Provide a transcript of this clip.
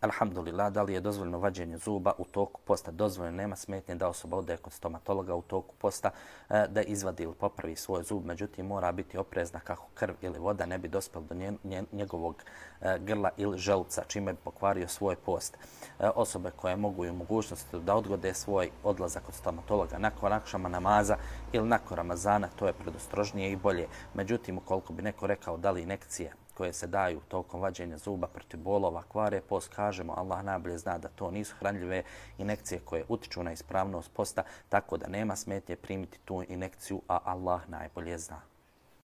Alhamdulillah, da li je dozvoljeno vađenje zuba u toku posta? Dozvoljeno, nema smetnje da osoba ode kod stomatologa u toku posta da izvadi ili popravi svoj zub, međutim mora biti oprezna kako krv ili voda ne bi dospjela do njegovog grla ili želuca, čime bi pokvario svoj post. Osobe koje mogu i u mogućnosti da odgode svoj odlazak kod stomatologa nakon akšama namaza ili nakon Ramazana, to je predostrožnije i bolje. Međutim, ukoliko bi neko rekao da li injekcije koje se daju tokom vađenja zuba protiv bolova kvare post, kažemo Allah najbolje zna da to nisu hranljive injekcije koje utiču na ispravnost posta, tako da nema smetnje primiti tu injekciju, a Allah najbolje zna.